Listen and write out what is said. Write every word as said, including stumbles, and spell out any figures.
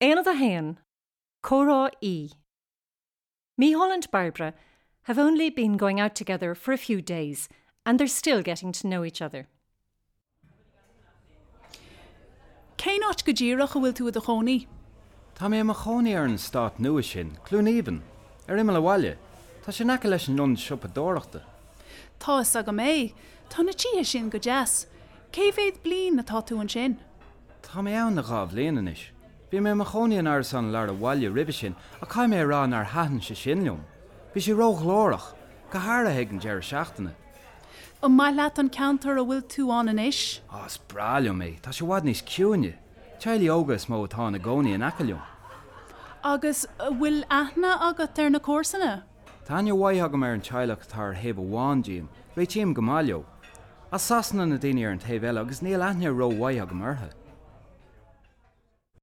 Aonad a haon, Comhrá E. Micheál and Barbara have only been going out together for a few days and they're still getting to know each other. Cén áit go díreach a bhfuil tú i do chónaí? Tá mé i mo chónaí ar an eastát nua sin, Cluain Aoibhinn, ar imeall an bhaile. Tá sé in aice leis an ionad siopadóireachta. Tá a fhios agam é, tá na tithe sin go deas. Cé mhéad bliain atá tú ansin? Tá mé ann le dhá bhliain anois. Bhí mé i mo chónaí in árasán i lár an bhaile roimhe sin ach caithfidh mé a rá nár thaitin sé sin liom. Bhí sé róghlórach, go háirithe ag an deireadh seachtaine. An maith leat an ceantar a bhfuil tú ann anois? Á, is breá liom é, tá sé i bhfad níos ciúine. Teaghlaigh óga is mó atá ina gcónaí in aice liom. Agus an bhfuil aithne agat ar na comharsana? Tá aithne mhaith agam ar an teaghlach atá ar thaobh amháin díom, réitím go maith leo. As Sasana na daoine ar an taobh eile agus níl aithne rómhaith agam orthu.